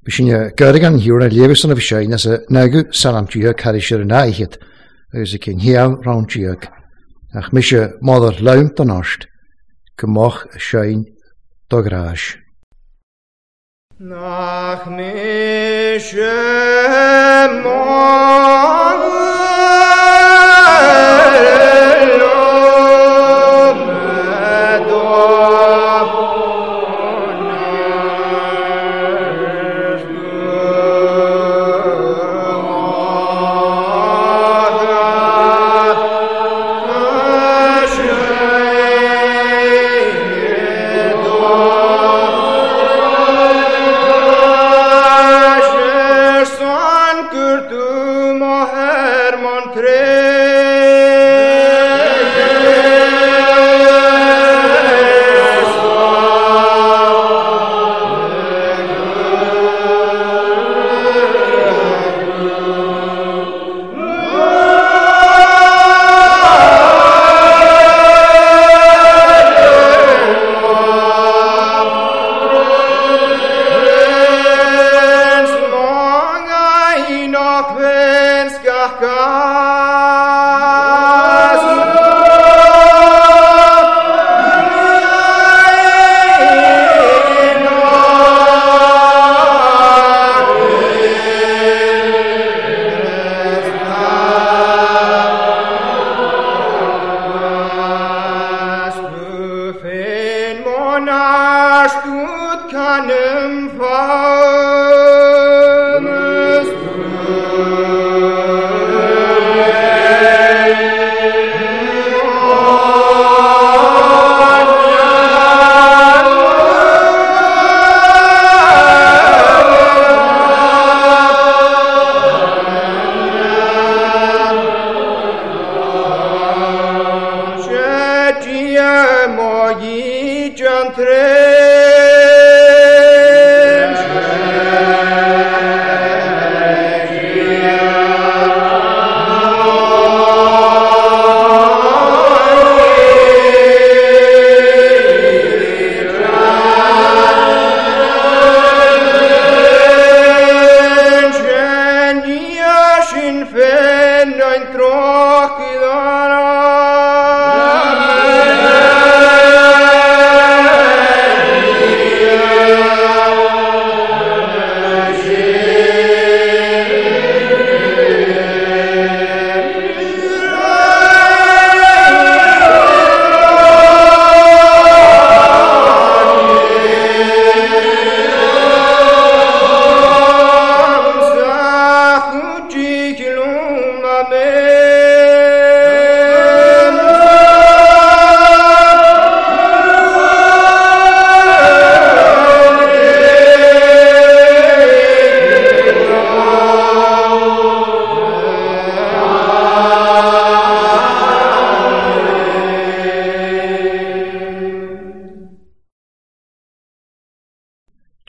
B'shin Gurgan hiúr a léamh san bhí sé as a n-agu salam dia caris ar an áichead agus a cinn hiamh round diag. Ach mise mother laim don áist, go moch sein do gráis. Nach mise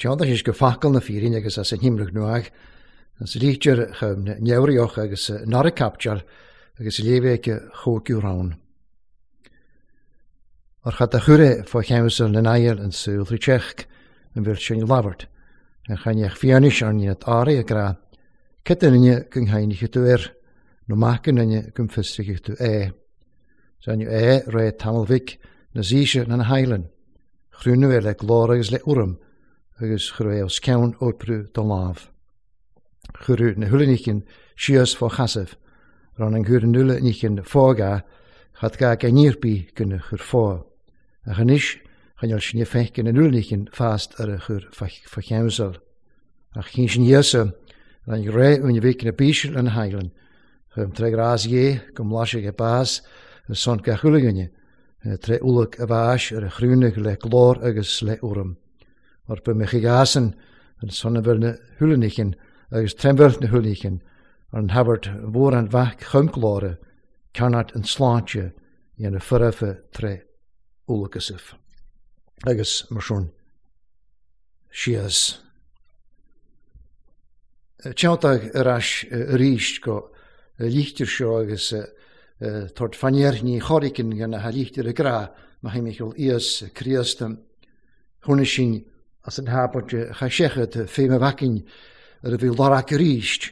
Teannta is go facal na fírin agus as an himrach nuach, as lítear chum neurioch agus nara capteal agus léibhéice chóciú rán. Ar chat a chure fá cheamsal na n-ail an súil trí teach an bhfuil sin labhairt, an chainneach fianis ar níad áirí a gra, cad duine go n-tháinig tú air, nó mac an duine go bhfiosraigh tú é. Saineadh é ré tamall mhic na zíse na na hAileann, chrúnadh é le glór agus le urraim, agus chuir é os ceann oibriú don lámh. Chuireadh na huile níchin síos fá chasamh, ran an gcuir an uile níchin fága chat ga ga níorbí gona chur fá. Ach anois choinneáil sinne feic an uile níchin fast ar a chur fá cheamsal. Ach chinn sin Íosa ran ré uain bhíc na bíseal an hAileann, chum tré grás dhé go mblaisfidh a bás ar son gach uile dhuine, tré ualach a bháis ar a chrúnadh le glór agus le urraim. Mar ba mé chuig asan an son a bhfuil na huile níchin agus trembhil na huile níchin ar an thabhairt mhór an mhac chum glóire, cearnat an tsláinte dhéanamh foirfe tré ualachasaibh. Agus mar sin síos. Teanntag ar ais arís go lítear seo agus tabhairt fainnéar ní chorrican gona ha lítear a grá má théimid íos Críost. Thabharfaidh sin As an thabairte chaith seicheamh fé mo bhacainn ar a bhí lorg arís,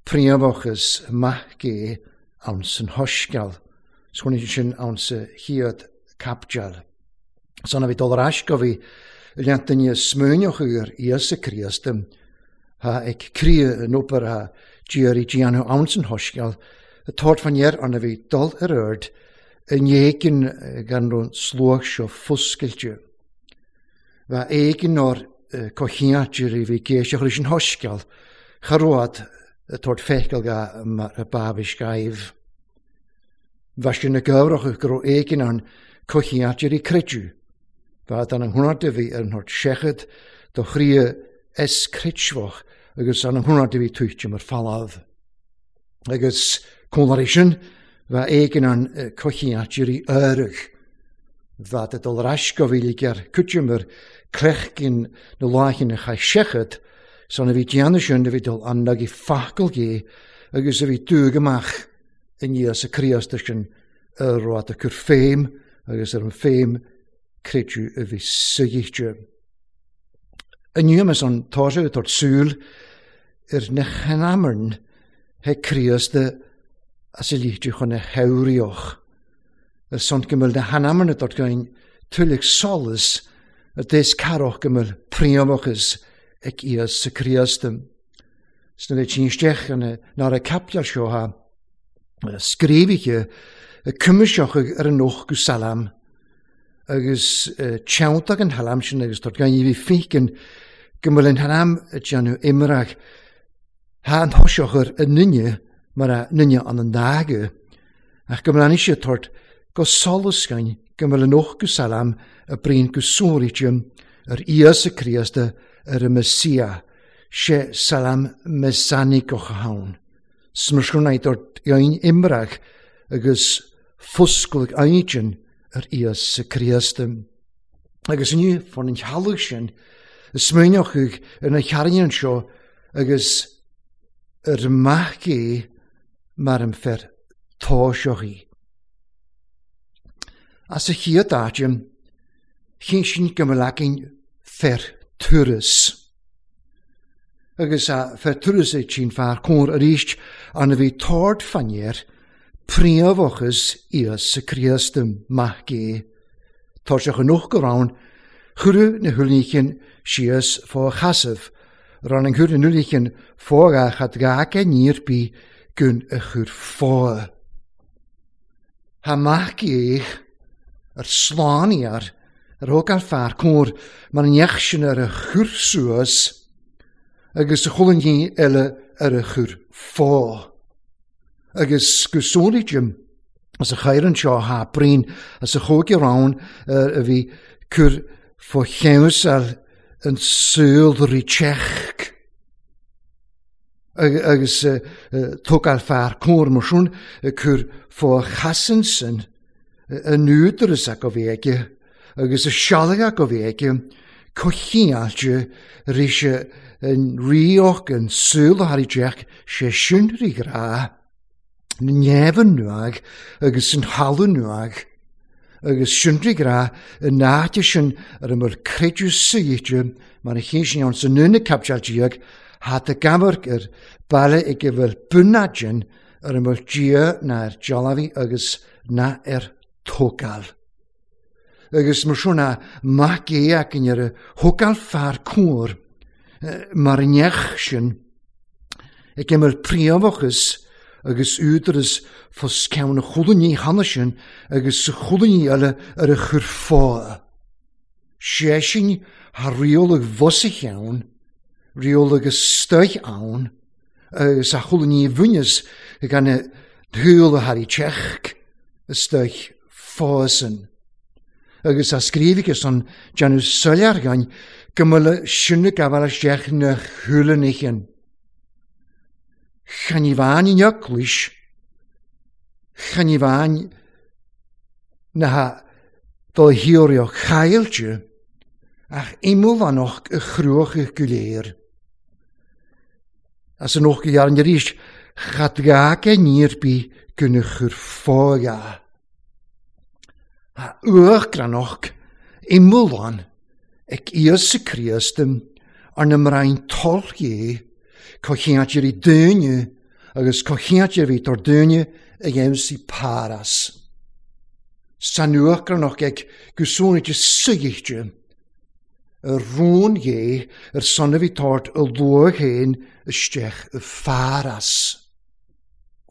príomhachas maith gé ann san shoisceal, 's chonaic sin ann sa chéad caibdeal. San a bhí dul ar ais go bhí leant duine smaoineach ar Íosa Críost, tha ag críoth an obair a d'iarraidh déanamh ann san shoisceal, a tabhairt fan air an a bhí dul ar aird in éigean gan raibh an sluagh seo foscailte. Bheadh éigean or cochiatir a bhí géiseach leis an shoisceal, cha raibh a tabhairt feiceáil ga mar a b'abhais gaibh. Bheadh sé na gabhrach go raibh éigean ann cochiatir i creideamh. Bheadh an an a bhí ar an thort seichead do chroí es creidmheach agus an an a bhí tuighte mar falamh. Agus cónairí sin, bheadh éigean ann cochiatir i áireach. Bheadh a dul ar ais go bhí ger cuitimar clechgin na láichin a chaith seichead, san a bhí déanamh sin a bhí dul an nag i facal gé agus a bhí dúg amach i Íosa Críost sin ar raibh a cur féim agus ar an féim creideamh a bhí suigheite. Inniu mas an tá sé ag súil ar na hanamairn he Críost as a líte chun a theoríoch. Ar son go bhfuil na hanamairn atá gain tuilleadh solas ar dés carach go bhfuil príomhachas ag Íosa Críost. Sna le tín isteach an ná a capteal seo ha scríobhaithe cuimiseach ar an noch go salam agus teanntach an halam sin agus tá gan bhí fécin go bhfuil an halam déanamh imreach ha an thoiseach ar an nunne mar a nunne an an dága ach go bhfuil sé tort go solas gain go bhfuil an noch go salam a bríon go sóiríte ar Íosa Críosta ar an Messia sé salam messianicoch ann. Smursgúnaid dort gain imreach agus foscail aigin ar Íosa Críosta. Agus inniu fan an chealach sin, smaoineochaidh ar na chearnaíonn seo agus ar maith é mar an fer táiseochaí. As a chéad áit, chinn sin go mbeadh againn fer turas. Agus a fer turas é tsin fear cóir arís an a bhí tord fanéir príomhachas Íosa Críost maith gé. Tá sé chun go rann, chuireadh na huilíchin síos fá chasamh, ran an chuir na huilíchin fá chad gaca níor bí gun a chur fá. Ha maith gé ar slániar ar thóg an fear cóir mar an neach sin ar a chur suas agus a chulann eile ar a chur fá. Agus go sóiríte as a chairan seo ha brín as a chóige rann a bhí cur fá cheannsal an saol rí teach. Agus tógáil fear cóir mar sin cur fá chasan sin an údaras a go bhí aige agus a sealga go bhí aige cochiáilte rí sé an ríoch an saol a teach sé sin rí grá na neamhan nuag agus an halu nuag agus sin rí grá an áite sin ar an bhfuil creideamh suite mar a chéin sin ann sa nuna capteal diag hat a gamharc ar baile ag a bhfuil bunadin ar an bhfuil Dia na ar dealbhaí agus na ar tógáil. Agus mar sin a mac é againn ar a thógáil fear cóir mar an neach sin ag imeall príomhachas agus údaras fos ceann a chulann cheana sin agus sa chulann eile ar a chur fá. Sé sin thar riail bhus a cheann, riail agus stoich ann, agus a chulann bhuineas gan a shúil a thar teach a stoich fásan. Agus a scríobhaithe san déanamh soiléir againn go mbeadh sin ag gabháil isteach na huillinnichin. Chan i bhfáin in eaglais, chan i bhfáin na do thiúrioch chaillte, ach imeallánach a chruach go léir. As an och go dhearn arís, chad gaca níor bí gunna chur fága. A uachgranach imeallán Ag Íosa Críost arna mbraon toil Dhé, comhcheantair dúinne agus comhcheantair a bhí tar dúinne a dhéanamh Páras. San uachtaránach ag gusúnaide suigte ar rún Dhé ar son a bhí tart a luath féin isteach i Pháras.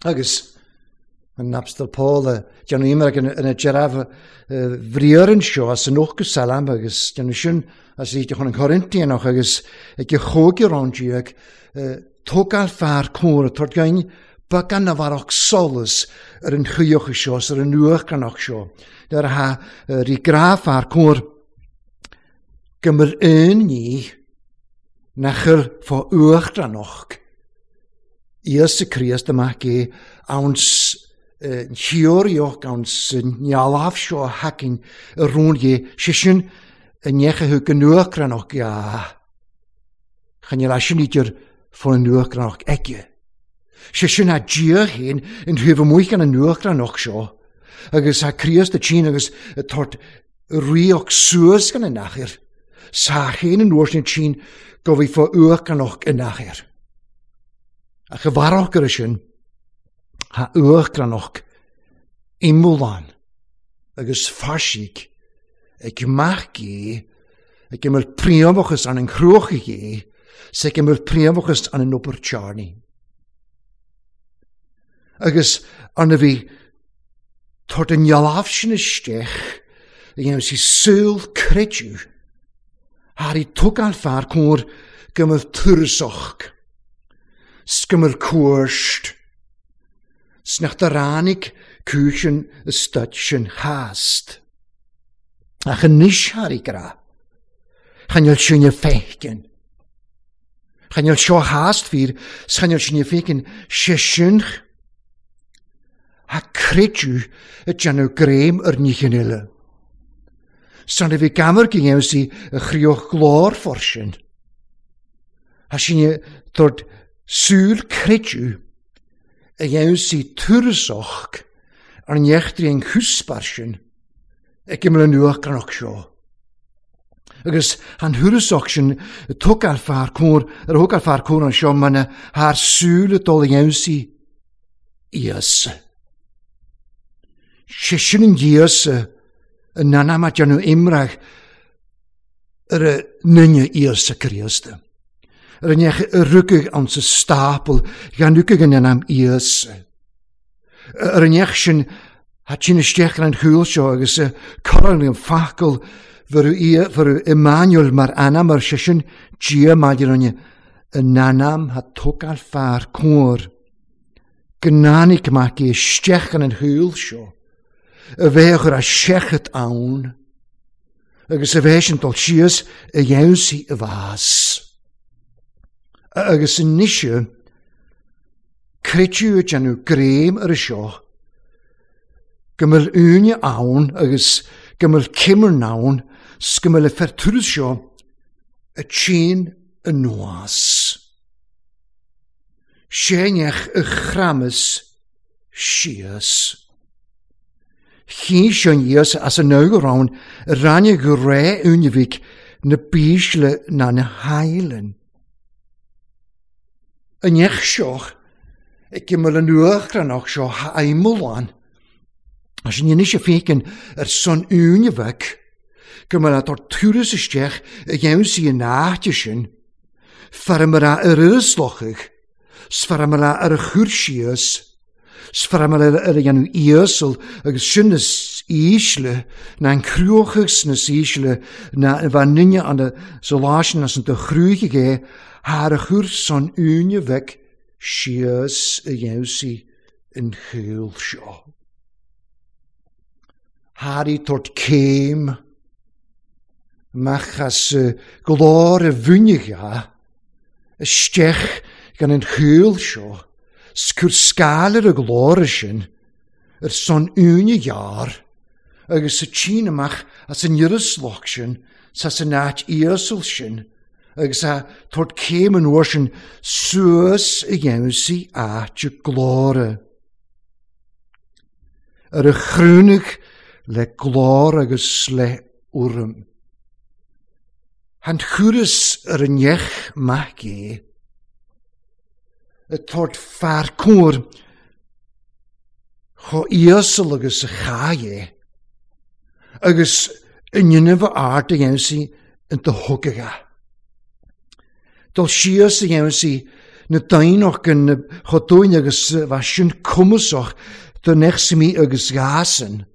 Agus an Apstal Paul a déanamh imearc ina deireadh bhriathar anseo as an ochtú Salam agus déanamh sin as iad chun an Chorintianach agus ag a chóigear ann déag tógáil fear córa tabhairt gainn beagán a bharrach solas ar an chuíoch seo is ar an uachtaránach seo. Nuair atá rí grá fear cóir go mbeadh aon ní nach chuir fá uachtaránach Íosa Críost amach é anns an theoraíocht anns an ngealaf seo a thacainn i rún Dhé, sé sin a ndeachaigh thú go nuachranach ea. Chan fheil sin idir fá an nuachranach aige. Sé sin a Dia féin in thaobh amuigh an nuachranach seo, agus tá Críost a tSín agus a tabhairt ríocht suas gan an achair, sa chéin an uair sin tSín go bhí fá uachranach in achair. Ach a bharrach ar sin, tá uachranach iomlán agus fairsigh ag mac Dé, ag imirt príomhachas an an chruach Dhé, 's ag imirt príomhachas an an obair tearnaí. Agus arna bhí tabhairt an ngealaf sin isteach a dhéanamh sí súil creideamh thar í tógáil fear cóir go mbeadh turasach 's go mbeadh cuairt 's nach do ráinig cúis an staid sin theast. Ach anois thar í grá, chan fheil sinne féiceann. Chan fheil seo theast fíor 's chan fheil sinne féiceann sé sin ha creideamh ag déanamh greim ar nithe eile. San a bhí gamar go dhéanamh sí a chríoch glór for sin. Thá sinne tabhairt súil creideamh a dhéanamh sí turasach ar an eachtraí an chuspar sin ag imeall an uachtaránach seo. Agus an thurasach sin a tógáil fear cóir ar a thógáil fear cóir anseo mana thar súil ag dul a dhéanamh sí Íosa. Sé sin an Íosa a n-anam a déanamh imreach ar a nduine Íosa Críosta. Ar an ndeich a rugadh ann sa stápal gan rugadh in anam Íosa. Ar an ndeich sin tha tinn isteach ar an chúl seo agus cuireadh an focal bhfuair Emmanuel mar anam ar seisean Dia maidir linn in anam tha tógáil fear cóir go n-áinig mac é isteach ar an chúl seo a bheadh ar a seachad ann agus a bheith sin dul síos a dhéansaí a bhás. Agus anois creideadh ag déanamh greim ar seo go mbeadh úine ann agus go mbeadh cimearn ann 's go mbeadh an fear turas seo a tinn anuas. Séineach a chramas síos. Chinn sé aníos as an amhrán a rinne go ré úinibhigh na bísle ná na haighleann. An neach seo ag imeall an uachtaránach seo aidhmeallán, as an inis a féiceann ar son úinibhigh go mbeadh tar turas isteach a dhéanamh an áite sin, fear a ar uaslochadh 's fear ar a chur síos, 's fear ar a dhéanamh íosal agus sin is ísle ná an cruachadh sna is ísle ná a bheith ninne an sa lá sin as an do chrúigh é thar a chur san úine bheag síos a dhéanamh sí an chúl seo. Thar í tabhairt céim amach as glór a bhuinneacha isteach gan an chúl seo, 's cur scáil ar a ghlór sin, ar son uaine ghearr, agus sa tSín amach as an iriosloch sin, 's as an áit íosal sin, agus a tabhairt céim an uair sin suas a dhéanamh áit a glóire. Ar a chrúnaigh le glór agus le urraim. Han churas ar an neach mac é, y tord fear cóir cho íosal agus a chai é, agus in dhéanamh a ard a dhéanamh sí in do thugadh. Dul síos a dhéanamh sí na daoine gan chomh dúinn agus bheith sin cumasach do neachsamí agus ghasan,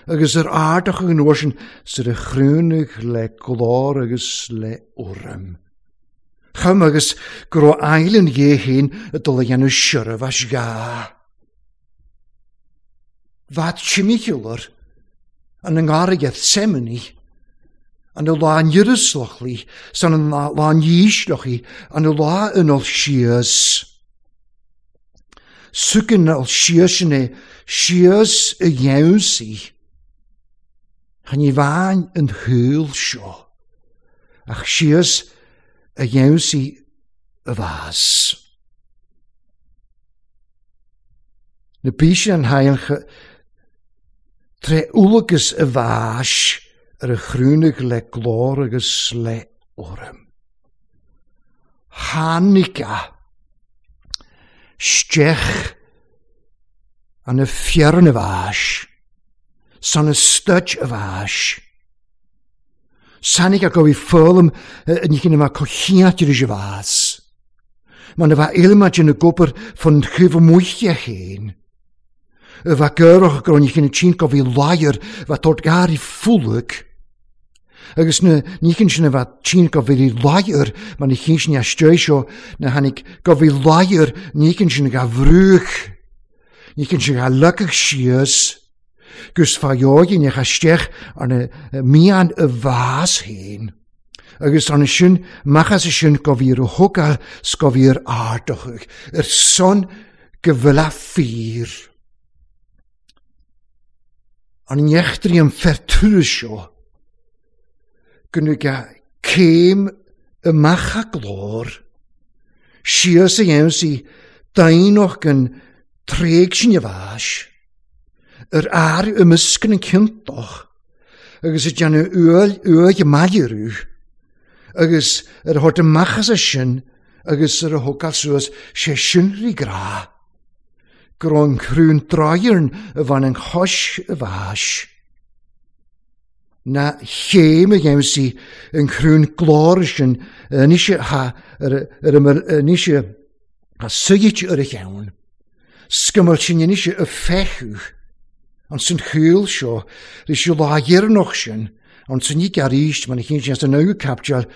agus ar ardach an uair sin sar a chrúnaigh le glór agus le urraim. Chum agus go raibh aill an ghé féin ag dul a dhéanamh seirbheis gha. Bheadh timcheallar an i ngarraí Gethsemane, an i lá an Ierusalachli, san an lá an dhísleachaí, an i lá an ol síos. Sucan ol síos sin é, síos i gheansaí. Chan ní bhain an shúil seo, ach síos a gheansaí a bhás. Na bíse an hailche tré ualagus a bháis ar a chrúnaigh le glór agus le urraim. Tháinig a steach an a fiorn a bháis, san a stuid a bháis. Sáinig a go bhí foghlaim ní chin a cochiat ar a bhás. Mar na bheith ilmaid ina gobar fan chuimh muiche chéin. A bheith gurach go ní chin a tsin go bhí láir bheith tort gairí fúlaig. Agus na ní chin sin a bheith tsin go bhí láir mar na chin sin a stoi seo na tháinig go bhí láir ní chin sin a bhrúch. Ní chin sin a leacach síos. Gus fájógin a steach ar na mian a bhás héin. Agus arna sin machas sin go bhí ar thugáil 's go bhí ar ardachadh, ar son go bhfuil a fíor. An neachtarí an fertúra seo, go nuga céim amach a glór, síos a dhéanamh sí daoineach an tréig sin a bháis, ar air imeascan an ciontach, agus a déanamh uail uaidh mailirú, agus ar a thabhairt amach as sin agus ar a thógáil suas sé sin rí grá, go raibh an chrún dráigearn a bhain an chois a bháis. Na chéim a dhéanamh sí an chrún glór sin anois ha ar anois a suigit ar a cheann. Scumail sin anois a feiceadh an san chúil seo leis an lá dheireanach sin an san ní arís mar na cinn sin san nua capteáil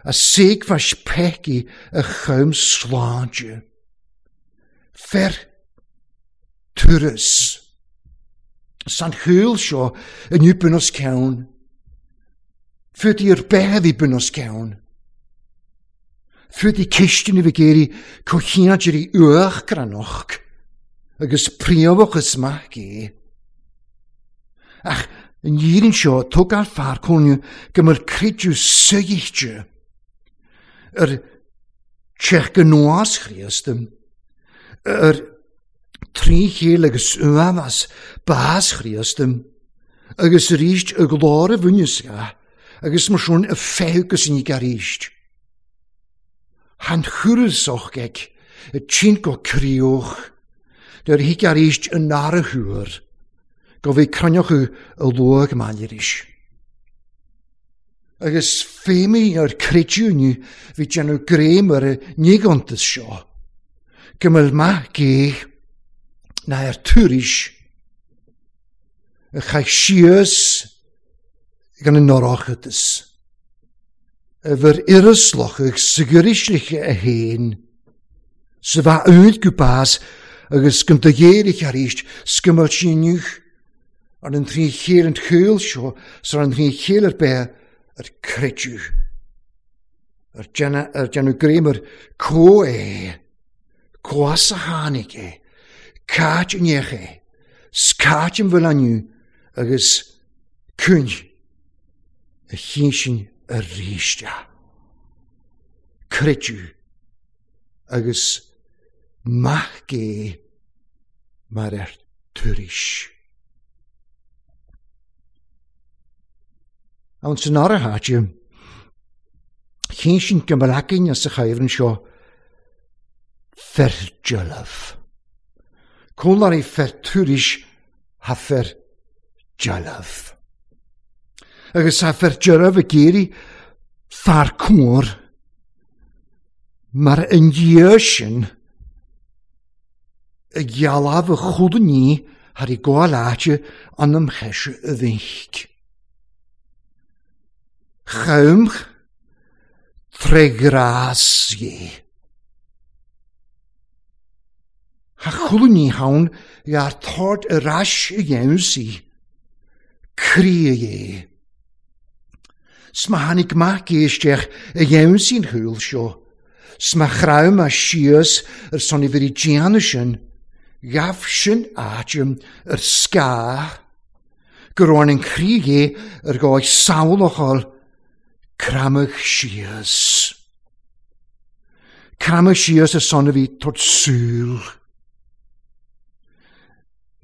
a séagmhais peicí a chum sláinte. Fer turas. San chúil seo inniu bun os ceann. Fuair ar bith a bhí bun os ceann. Fuair cistine bhí géirí cochianairí uachgranach agus príomhachas maith é. Ach an dhírin seo tógáil fear cónaí go mbeadh creideamh suigte ar teach go nuas Chríost, ar trí chéile agus uamas bás Chríost, agus arís a glór a bhuineasca agus mar sin a feitheamh go sin arís. Han churasach ag y tsin go críoch, nuair a thig arís an nara thuair, go bhí cruinneochadh a luach maileiris. Agus féimí ar creidiúnú bhí déanamh gréim ar a nígontas seo, go mbeadh maith gé ná ar tuairis a chaith síos gan an norachtas. A bhur irislochadh sa gcuirisliche a héin, sa bheith úd go bás agus go do ghéirich arís scumail síniuch ar an trí chéile an chúil seo sar an trí chéile ar bith ar creidiú. Ar déanamh gréim ar có é, có as a tháinig é, cáit an éach é, scáit an bhfuil aniu agus cúin a chinn sin arís é. Creidiú agus maith gé mar ar tuairis. An san ára háite, Chinn sin go mbeadh againne sa chuibhreann seo Ferdealbh. Cúnláirí fer tuairisc tha Ferdealbh. Agus tha Ferdealbh ag iarraidh fear cóir mar an Dia sin a ghealladh a chuid ní thar i gcomhair áite anam cheise a bhíc. Chaumch tré ghrás Dhé. Tha chuile ní ann ghearr tord ar ais a dhéanamh sí. Croí Dhé. 'S má tháinig mac Dé isteach a dhéanamh sí an chúl seo, 's má chraith mé síos ar son a bhrí déanamh sin, ghabh sin áit ar scáth go raibh an croí Dhé ar dhóigh samhlach fháil Creamadh síos. Creamadh síos ar son a bhí tabhairt súil.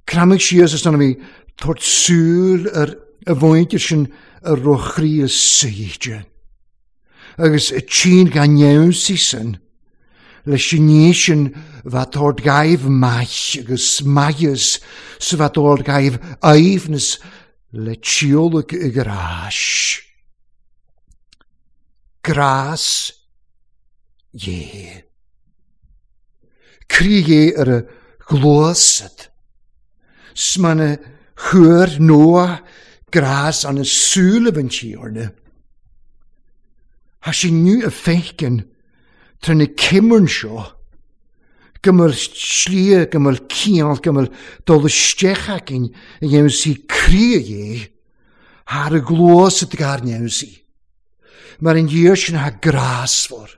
Creamadh síos ar son a bhí tabhairt súil ar a mhuintir sin a raibh chroí suite. Agus tchín gan neamhsaí sin, leis an ní sin bheith tabhairt gaibh maith agus maitheas sa bheith tabhairt gaibh aoibhneas le tíolaic i gcráis. Grás Dhé. Croí Dhé ar a ghluasad. 'S mana chuir Noah grás ana súilibh an Tiarna. Thá sé inniu a feiceann tar na cimmearn seo go mbeadh slí, go mbeadh ciall, go mbeadh dul isteach againn a dhéanamh sí croí Dhé thar a gcluas a dgairneadh sí. Mar an Dia sin atá grásmhar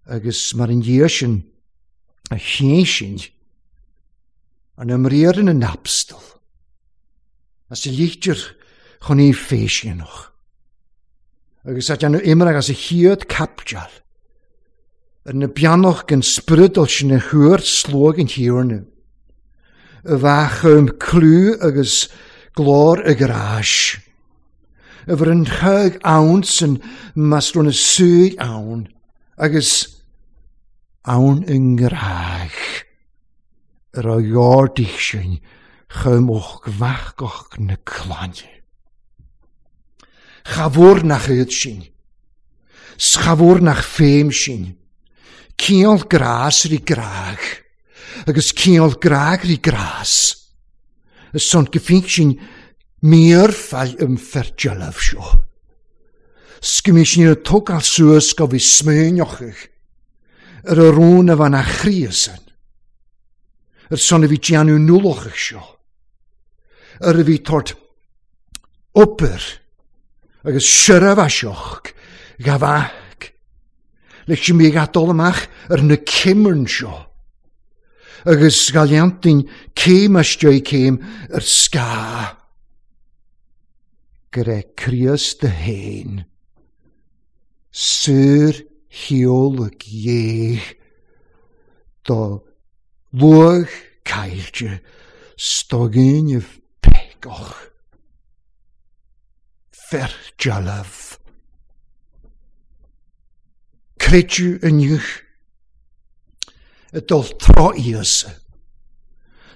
agus mar an Dia sin a chéin sin an imríoir ina n-abstal as a litir chun í féisíonach. Agus a déanamh imreach as a chéad caipiteal ar na beannach den spioradal sin a chuir sluag an Thiarna, a bheadh chum clú agus glór a ghráis, a bhur an chuig ann san más raibh na súil ann agus ann i ngrách ar a ghardaigh sin chum och mheachgach na clainne. Cha bhfuair nach iad sin. 'S cha bhfuair nach féim sin. Ciall grás rí grág, agus ciall grág rí grás. Is son go fíc sin mír fail um ferdealbh seo. 'S go mbí sin ar tógáil suas go bhí smaoineochaidh ar a rún a bhain a chríosan. Ar son a bhí déanamh nualachaidh seo. Ar a bhí tort obair agus seirbheaseach ghabhadh leis an mbíodh dul amach ar na cimmearn seo agus ga leantainn céim istigh céim ar scáth go raibh Críost féin saor sheoladh Dhé do luach caillte 's do dhaoinibh péacach. Ferdealbh. Creideadh inniu i dul tráth Íosa,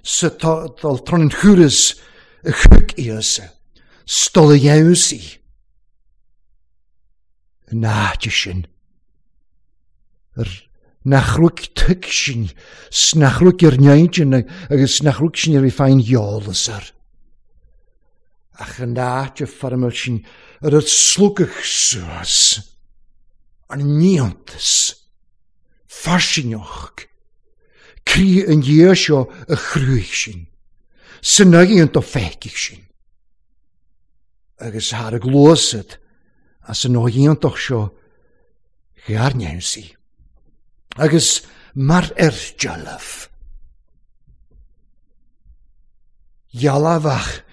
sa dul tráth an chúras a thug Íosa, 's dul a dheamhsaí an áit sin. Ar nach raibh tuig sin, 's nach raibh ar neidin agus nach raibh sin ar bhí féin eolas air. Ach an áit a foirmeáil sin ar a slugadh suas, an n-iontas, fairsingeach, croí an Dhia seo a chruthaigh sin, san aghaidh do feicfidh sin. Agus thar a gluasad as an iontach seo ghairneamhsaí. Agus mar ar dealbh. Dhealbhach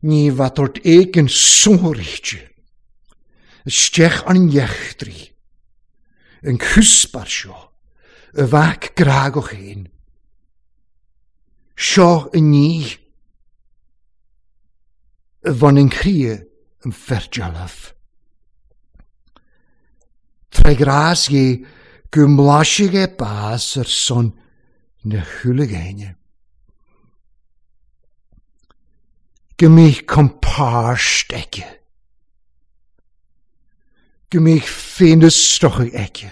ní bheadh ort éigin sonraíte isteach an eachtraí, an cuspair seo a bheadh grágach féin. Seo a ní a bhain an chroí an ferdealbh. Tré ghrás Dhé go mblaisfidh é bás ar son na huile dhaoine. Go mbíodh compáirt aici. Go mbíodh féinfhiosrachadh aici.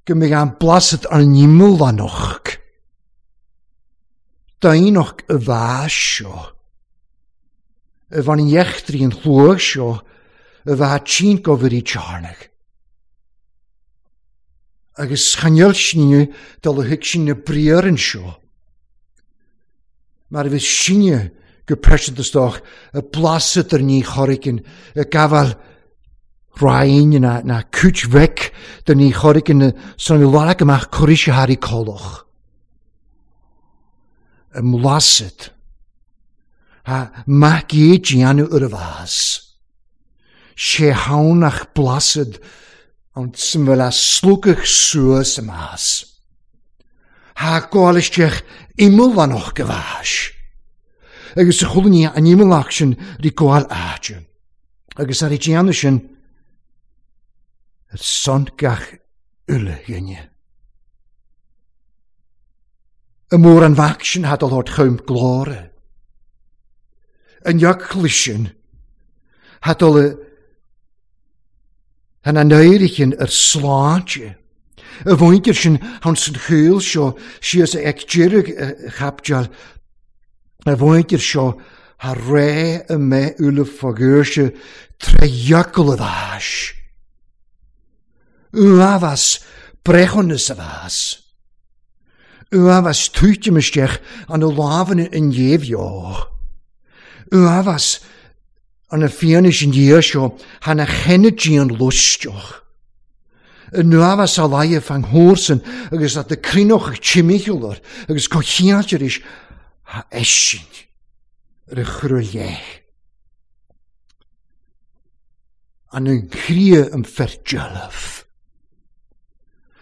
Go mbeadh an blasad ar an imeallánach. Daonnacht a bheas seo. A bhain an eachtraí an chluas seo a bheith tinn go bhfuirí tearnach. Agus chan fheil sinne dul a thuig sin na briathra anseo. Mar a bhí sinne go pearsanta is dócha a blaiseadh ar ní chorraigin ag gabháil roinn ná ná cúit bheic de ní chorraigin san i lorg amach cuiridh sé thar i collach. I mblaiseadh. Ha mac é déanamh ar a bhás. Sé hann ach blaiseadh an tsuim a slúcadh suas i mbás. Ha gabháil isteach imeallánach go bhás. Agus sa chuile ní an imeallach sin rí gabháil áite. Agus ar a déanamh sin ar son gach uile dhuine. Y mór an mhac sin ha dul ort chum glóire. An eacla sin ha dul han an éirighin ar sláinte. Y mhuintir sin han san chúl seo síos ag deireadh a chaipdeal. Y mhuintir seo ha ré y mbeith uile fagúirse tré eacla a bháis. Uafás breithiúnas a bheas. Uafás tuitim isteach an lámhanna in dhéimheo. Uafás an fianaise in dhiaidh seo thar na cheannaidí an luisteach. An uafás a laighe fan thórsan agus at na cruinneocha timcheall agus comhchiáilt arís ha eisin ar a chur i leith. An an chria an feirdealbh.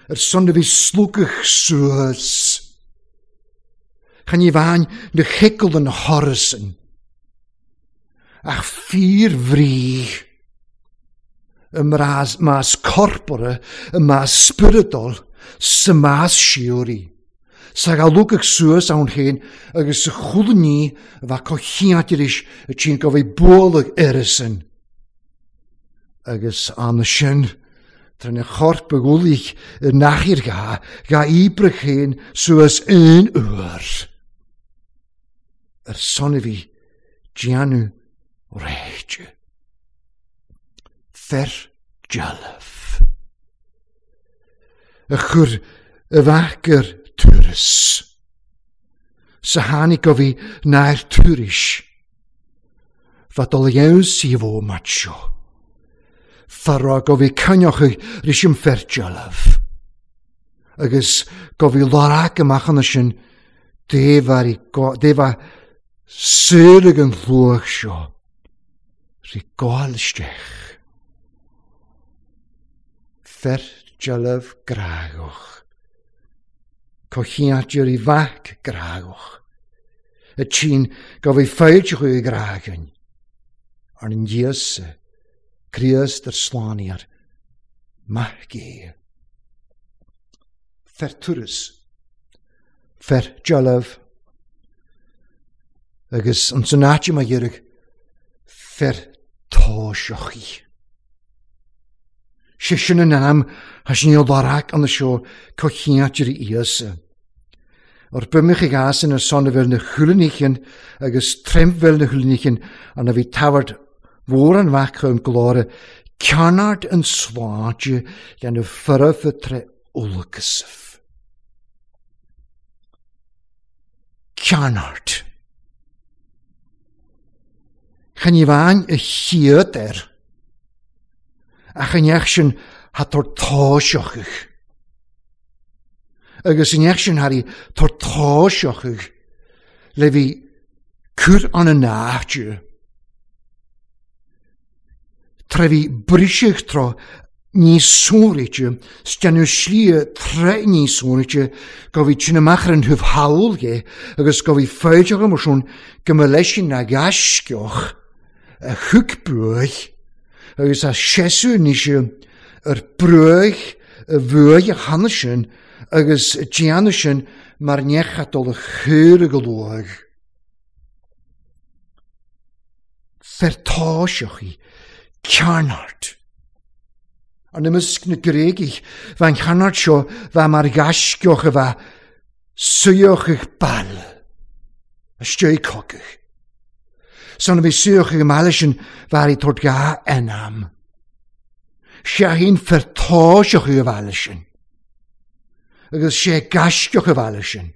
Ar son a bhí slúcadh suas. Chan ní bhain na chiceal an thorasan. Ach fíor bhrí. Y mras mas corpora, y mas spioradol, sa mas síoraí. Sa ghalúcadh suas ann féin agus sa chuile ní a bheadh comhchiáit arís a tchíonn go bhfuil bualadh uireasan. Agus ann sin, tar ina chorp a ghualaigh i n-achar gha, gha oibre féin suas aon uair. Ar son a bhí déanamh réite. Fer dealbh. A chur i bhfeac ar turas. Sa tháinig go bhí náir turais. Fa dul dheamhan sí bhó mat seo. Fa rá go bhí coinneochaidh ris an fer dealbh. Agus go bhí lorg amach ann sin dé bha saor ag an hluach seo. Rí gabháil isteach. Fer dealbh grágach. Comhchiáitir i bhfeac grágach. A tchín go bhí fáilte chuig grágain. Ar an Íosa, Críost ar slánaíar, maith gé. Fer turas. Fer dealbh. Agus an san áit má iarraidh fer tóiseachaí. Sé sin an ainm thá sin níl lorg an seo comhchiáitir Íosa. Ar b'imich ag as ina son a bhfuil na chúlaníchean agus troimfhuil na chúlaníchean an a bhí tabhairt mhór an mhac chun glóire cearnard an sláinte dhéanamh foirfe tré olcasaibh. Cearnard. Chan ní bhain a chiad air. Ach an neach sin tha tor táiseachadh. Agus an neach sin thar í tor táiseachadh le bhí cur an an áite. Tra bhí briseadh tráth níos sonraíte, 's déanamh slí tráth níos sonraíte go bhí tine amach ar an thaobh thall dhe agus go bhí fáilte agam ar son go mba leis sin a ghaisceach a thug buaidh. Agus tá seasamh anois ar bruach a bhuaidh a cheana sin agus a déanamh sin mar neach a dul a chur go luath. Fertáiseach í cearnart. An imeasc na Gréigigh, bheith an chearnart seo bheith mar ghaisceoch a bheith suíoch ag baile, istigh cogadh. San a bhí suíoch ag an mbaile sin bheith ag tabhairt dhá anam. Sé fertáiseach ag an bhaile sin. Agus sé gaisceoch a bhaile sin.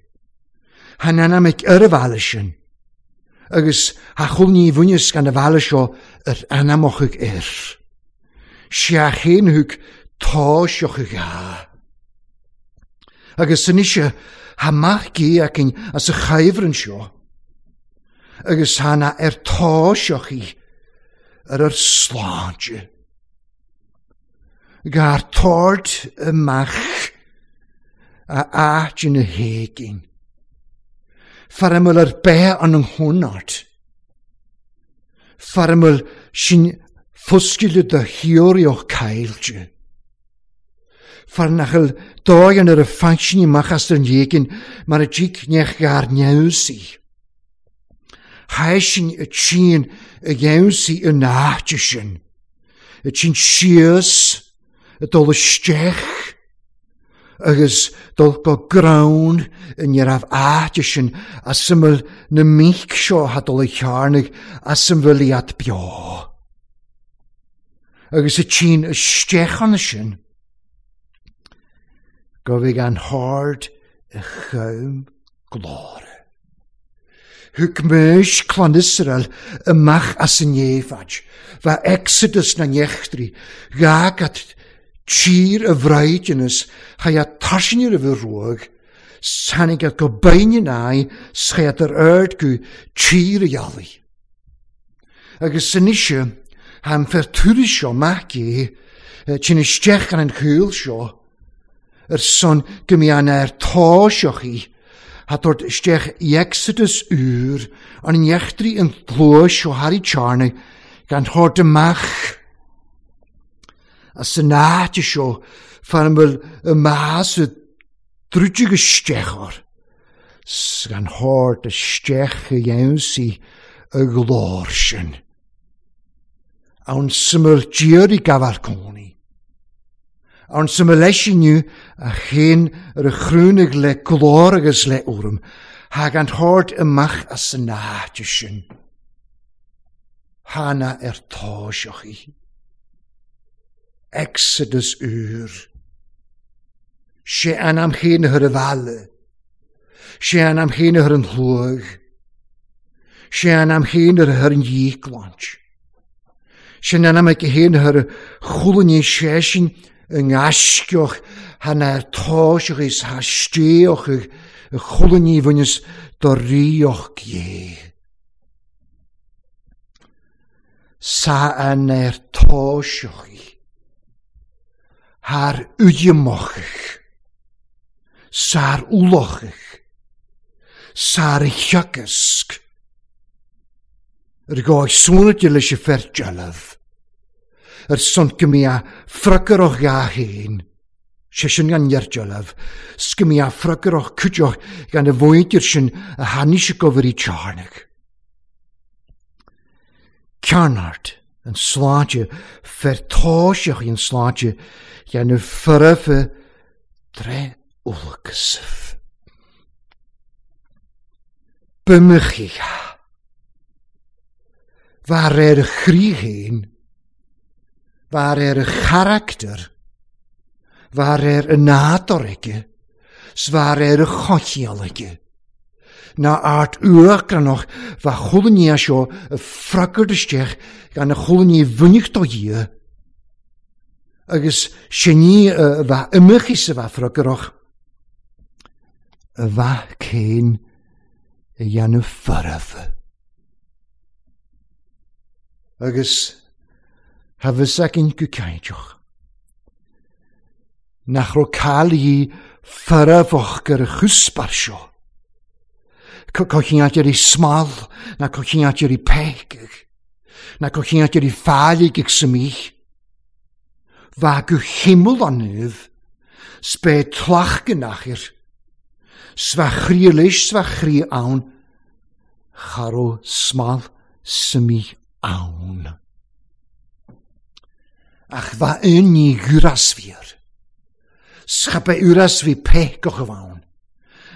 Than anam ag ar a bhaile sin. Agus tha chul ní bhuineas gan a bhaile seo ar anamoch ag air. Sé chéin thug táiseach ag a. Agus anois tha mac gé againn as a chaimhreann seo. Agus tha na ar táiseach í ar ar sláinte. Gar tord amach a áit ina héigin. Fear ar bith an ngúnart. Fear sin foscaile do theoríoch caillte. Fear nach bhfuil dóigh an ar a fainsin amach as an éigin mar a dtig nech gar neamhsaí. Thaisinn a tsin a dheamhsaí an áite sin. A tsin síos a dul isteach agus dul go greann i ní raibh áite sin as a bhfuil na míc seo a dul a chearnaigh as a bhfuil iad beo. Agus a tsin isteach ann sin go bhfuil an hard a chum glóire. Thug Maois clann Iosrael amach as an éifeacht, bheith Exodus na n-eachtraí, ghágat tír a bhraidhneas, chaith tairsinir a bheith ruag, tháinig go binn in aghaidh, schaith ar aird go tír a dhealaigh. Agus anois, tha an fear turas seo mac é, tinn isteach ar an chúl seo, ar son go mbí an air táiseach í, tha tabhairt isteach i Exodus úr an neachtraí an tlua seo thar í tearna gan thabhairt amach as an áit seo fear an bhfuil y mas y druidig isteach or gan thabhairt isteach a dhéansaí y ghlór sin. Ann syml diar i gafal cónaí. Ann syml leis inniu a chéin ar a chrúnaigh le glór agus le urm, thag an thabhairt amach as an áit sin. Thána ar táiseach í. Exodus úr. Sé an am chéin ar a bhaile. Sé an am chéin ar an shluaigh. Sé an am chéin ar an dhíocláint. Sin an am ag chéin ar chulainní sé sin i ngaisceoch than ar táiseach is tha stéoch y chulainní bhaineas do ríoch dhé. Sa an ar táiseach í. Thar uigemochach. Sar ulochach. Sar theagasc. Ar gáid súnate leis y fer dealbh. Ar son go mbí a ffragaroch gha héin. Sé sin gan dealbh. 'S go mbí a ffragaroch cuideoch gan y fwydir sin a hanis y gofyr i tearnach. Cearnart an sláinte fer táiseach an sláinte gan y ffyrfa dre ulcasaf. Bymychia. Waar er chríhéin, waar er character, waar er y nádor aige, 's waar er y chochial aige. Na art uachranach va chulaní seo y ffragard isteach gan y chulaní bhuineach do dhia. Agus sinní va ymychis y va ffragarach. Y va cén y dhéanamh faraf. Agus tha bhus againn go cainteach. Nach raibh cail í farafach gur a chuspar seo. Cochiant ar í smal na cochiant ar í peicach. Na go chiant ar i ffalig ag symich. Fa go chiml anydd, sbe tlach gynachir. Sfa chrielish, sfa chri awn, charo smal symich awn. Ach fa un ni gwrasfir. Schape uras fi pech goch awn.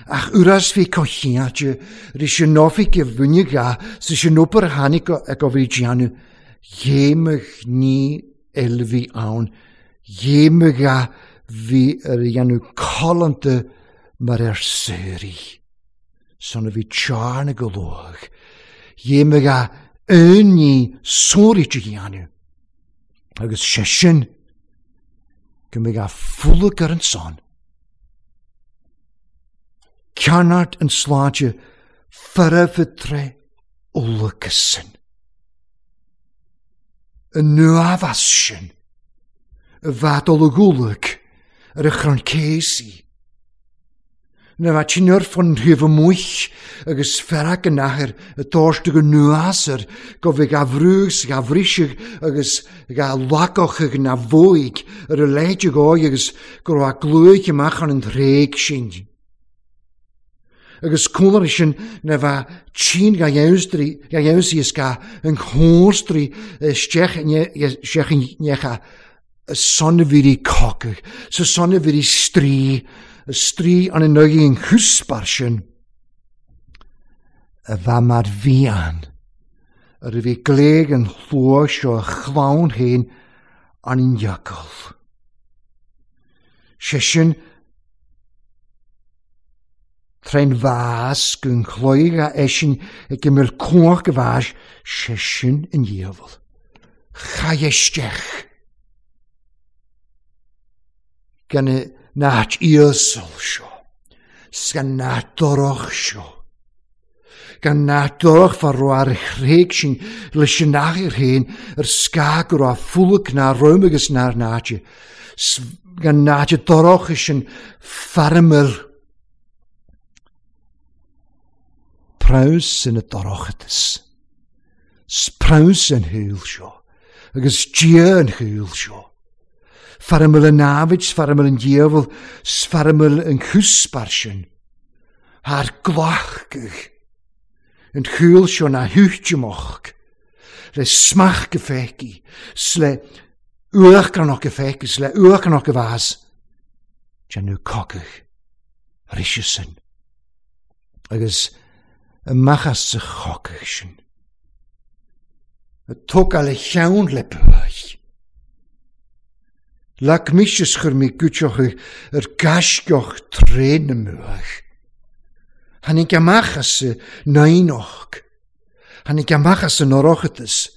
Ach uras fi cochiatje, ris y nofi gyfwni ga, sys y nopr hanig ag o fi gianu, jemig ni elfi awn, jemig ga fi yr ianu colante mar seri. Son fi charn ag o lwg, jemig ga un ni sori gianu. Agus sé sin, go mbeidh a fúlaigh ar an son. Ceannart an sláinte farafadre olcasin. An nuafas sin, y fadol y gwlyg ar y chron cesi. Na fa ti'n fan rhif y mwych agus ferag yn aher y dorst ag y nuasar go fe ga frwgs ga frisig agus ga lagoch ag na fwyg ar y ledig o'i agus go a glwyg ymach an yn rheg sin. Agus cwlar sin na fa ti'n ga iawsdri ga iawsi ys ga yn nghorstri stech necha y sonafiri cogach, sa sonafiri stri, y stri an yn ogi yn chwsbar sin. Y fa mar fian, yr fi gleg yn llwys o chlawn hen an yn iagol. Session trein fas gyn chloi a eisiau y gymryd cwch gyfas session yn iefol. Chai eistech. Gan y nat iasol sio. Sgan nat doroch sio. Gan nat doroch farw ar chreg sy'n lysinach i'r hen yr sgag o'r a ffwlwg na rwym na'r nat. Gan nat doroch sy'n ffarmyl. Praws yn y dorochadus. Spraws yn hwyl sio. Agus dia yn hwyl sio. Ffarmyl yn nafid, ffarmyl yn diefel, ffarmyl yn chwsbar sin. Haar glachgych. Yn hwyl sio na hwtiomoch. Le smach gefeki. Sle uach gan och gefeki, sle uach gan och gefas. Janu cogych. Rishysin. Agus y machas y chogych sin. Y tog al y llawn le bwych. Lac misys chur mi gwtioch yr gasgioch tren y mwych. Hanny gamachas y nainoch. Hanny gamachas y norochadus.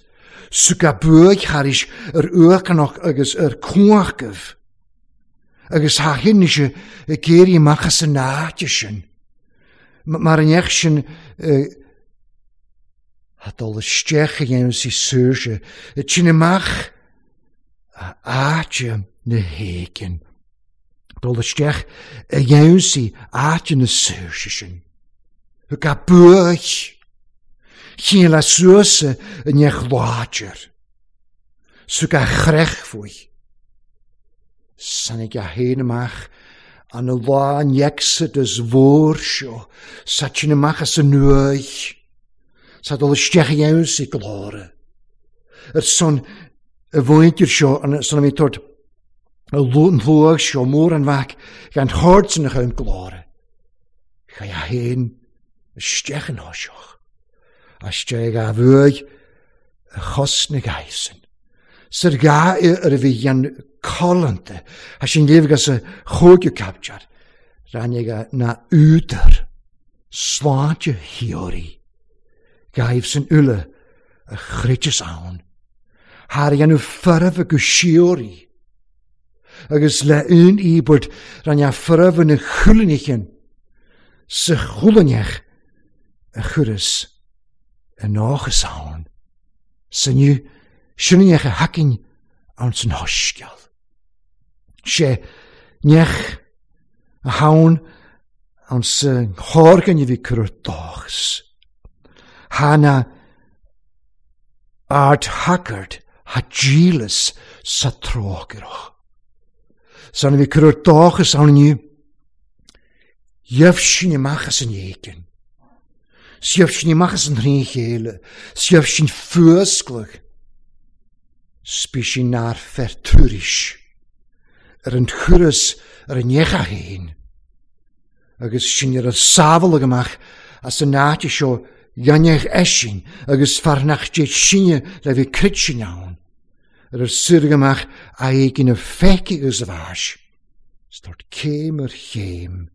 Sug a bwych haris yr uacanoch agus yr cwachgyf. Agus ha hyn eisiau y geiri machas y naatio sin. Mae'r yn sin hadol y stech y iawn si sŵrse. Y ti'n ymach a aatio na hegin. Dol y stech y iawn si aatio na sŵrse sin. Y ga bwych. Chyn la sŵrse yn eich lwadr. Sw ga chrech fwy. Sanig a hen ymach an y lá an Exodus fwr sio, sa ti'n ymach as y nwy. Sa dol y stech iawn si glore. Yr son y fwyntir sio, an son am tord y lwg sio môr an fac, gan chord sy'n eich glore. Chai a hen y stech yn hosioch. A stech a fwy y chos na gaisen. Sy'r ga yr fi yan colante. A sy'n lif gas y chwg y capjar. Rannig a na úder. Sláinte hiori. Gaif sy'n ule y chritys awn. Har yan ffyrf y gwsiori. Agus le un i bod ran ya ffyrf yn y chwlinichen. Sy chwliniach y chwrys y noch ys awn. Sy'n yw Syniach y hacin awn sy'n hosgiol. Se nech y hawn awn sy'n chorgan i fi cyrwr dochs. Hana Ardshagart ha díleas sa trócaireach. San a bhí cur ar dóchas ann inniu, gheibh sinn amach as an éigean. 'S gheibh sinn amach as an thrí chéile, 's gheibh sinn fuascladh. 'S bí sinn nár fer tuairisc ar an thuras ar an ndeich a féin. Agus sinn ar ár sábháladh amach as an áit seo dhéanfadh eisean agus fear nach dtéid sinne le bheith cruit ann, ar ár saoradh amach a éigin a pheaca agus a bháis, 's tabhairt céim ar chéim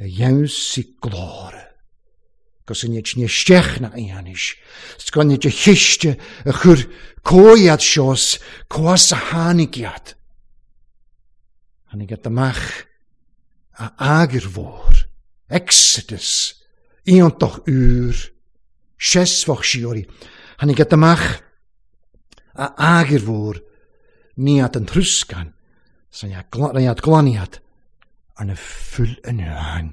a dheamhsaigh glóire, 'gus an iad sin isteach na aonis, 's gan iad a chiste a chur comhiad seo 's comhas a tháinig iad. Tháinig iad amach a eagair mhór, Exodus, iontach úr, seasmhach síoraí. Tháinig iad amach a eagair mhór, ní iad an troscán, san iad glan iad, arna fuil an uain.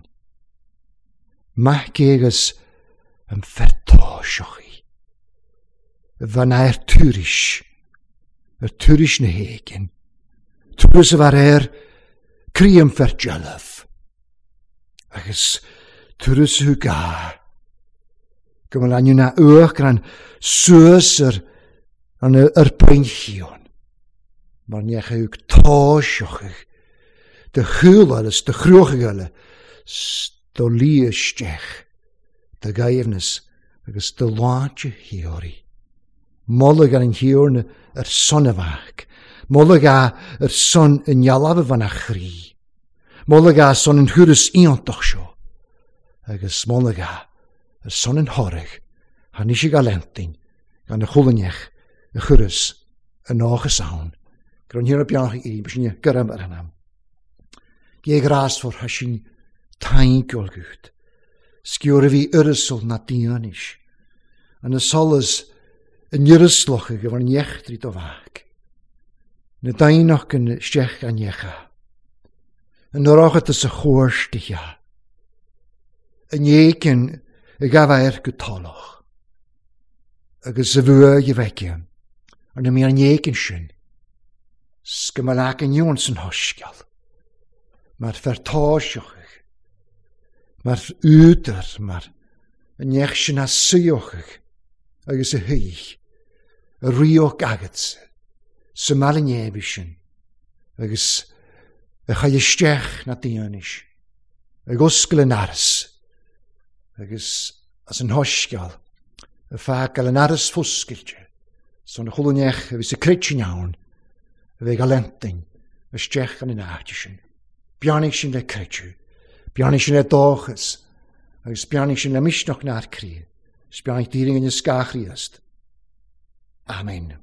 Maith agus an fear táiseach í. Bhean ar tuairisc, ar tuairisc na héigin, turas a bhear air croí an fear dealbh, agus turas a thug a go bhfuil ainm na uachtarán suas ar an ar bpoinchíon, mar ní thug táiseach de chúl eile 's de chruach eile 's do luí isteach do ghaibhneas agus do shláinte shíoraí. Moladh ar an Thiarna ar son a mhac. Moladh a ar son a ndealbh a bhain a chroí. Moladh a son an thuras iontach seo. Agus moladh a ar son an thoraidh tháinig sé go Leintin gan a chulainneach a chuireas a nóchas ann. Go raibh an Thiarna beannach ag éirí, b'shin go raibh ar an am. Gé ghrásmhar thá sin tainceol gut. Sciúr a bhí uireasal ná diainis. An solas i n-uireasloch ag bhur n-eachtraí do mhac. Na daoineacht isteach a ndeacha. An oireachtas a chomhairstithe. An éigin ag gabh air go tolach. Agus a bhuaidh a bheith ar na mí an éigin sin. 'S go mba leac an iúin san shoiscéal. Mar fear táiseach, mar údar, mar an neach sin a suíochadh agus a thuig a ríocht agatsa sa mbaile néimhe sin agus a chaith isteach na daoinis ag oscail an aras agus as an shoiscéal a fágáil an aras foscailte son chuile neach a bhí sa creitin ann a bheidh a leintin isteach an áit sin. Beannaigh sin le creideamh, beannaigh sin le dóchas, agus beannaigh sin le misneach nár croí, 's beannaigh d'iarraidh an scáth Chríost. Amen.